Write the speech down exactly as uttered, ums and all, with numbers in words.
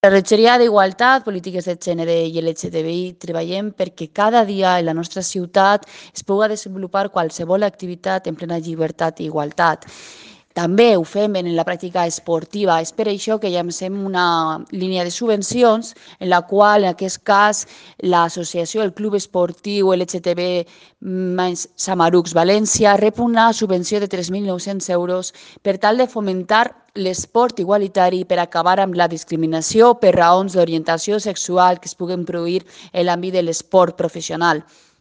La Regidoria d'Igualtat, Polítiques de Gènere i L G T B I treballem perquè cada dia en la nostra ciutat es pugui desenvolupar qualsevol activitat en plena llibertat i igualtat. També ho fem en la pràctica esportiva. És per això que llancem una línia de subvencions en la qual, en aquest cas, l'associació, el Club Esportiu L G T B Samarucs València rep una subvenció de tres mil nou-cents euros per tal de fomentar l'esport igualitari per acabar amb la discriminació per raons d'orientació sexual que es puguen produir en l'àmbit de l'esport professional.